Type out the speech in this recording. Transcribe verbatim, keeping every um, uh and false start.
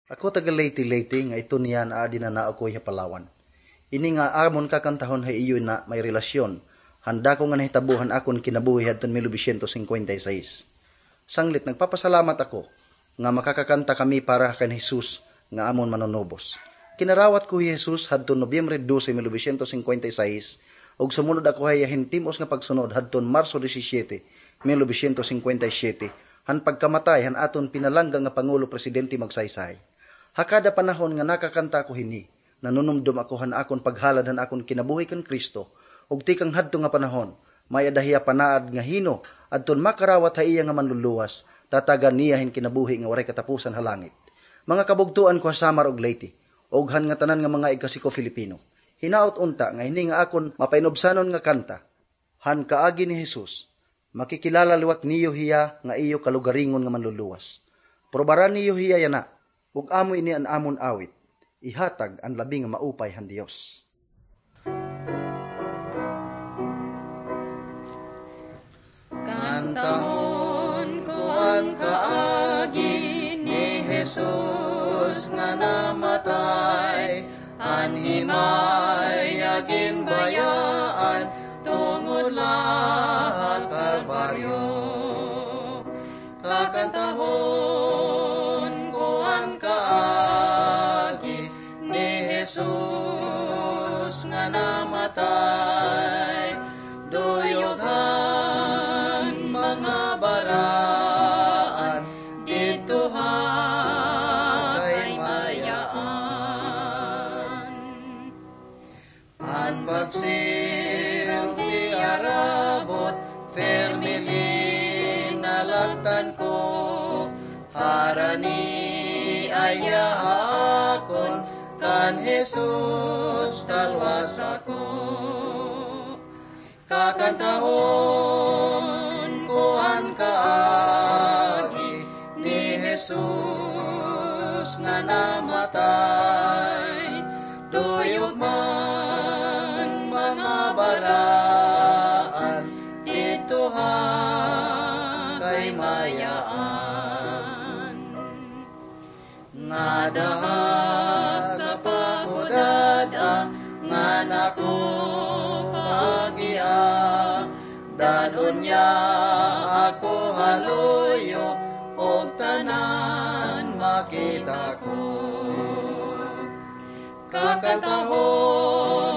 Ako taga Leyte, Leyte, nga iton niya naadi na nakoy ha Palawan. Ini nga amon kakantahon ha iyo na may relasyon han dako nga nahitabo han akon kinabuhi hadton mil novecientos singkwenta y seis. Sanglit, nagpapasalamat ako nga makakakanta kami para kan Jesus nga amon Manunubos. Kinarawat ko hi Jesus hadton Nobyembre dose, mil novecientos singkwenta y seis, ug sumunod ako ha iya hin tim-os nga pagsunod hadton Marso disisyete, mil novecientos singkwenta y siyete, han pagkamatay han aton pinalangga nga Pangulo Presidente Magsaysay. Ha kada panahon nga nakakanta ako hini, nanunumdom ako han akon paghalad han akon kinabuhi kan Cristo, ug tikang hadto nga panahon, may-ada hiya panaad nga hin-o adton makarawat ha iya nga Manluluwas, tatagan niya hin kinabuhi nga waray katapusan ha langit. Mga kabugtoan ko ha Samar ug Leyte, ug han ngatanan nga mga igkasi ko Filipino, hinaot unta nga hini nga akon mapainubsanon nga kanta, han kaagi ni Jesus, makikilala liwat niyo hiya nga iyo kalugaringon nga Manluluwas. Probaran niyo hiya yana, ug amo ini an amon awit, ihatag an labi nga maupay han Dios. Kantahon ko an kaagi ni Jesus nga namatay, an himay iya ginbayaan tungod la ha Kalbaryo. Kakantahon ko an kaagi ni Jesus nga namatay, duyog han mga baraan didto ha kaymayaan. An pagsirog ti arabot, pirme linalaktan ko, harani aya ha akon, kan Jesus talwas ako. Kakantahon ko an kaagi ni Jesus nga namatay, duyog man mga baraan didto ha kaymayaan. Ngada ha sapa ko dad-a, ngan ako kaagia, dad-on niya ako ha luyo, ug tanan makita ko. Kakantahon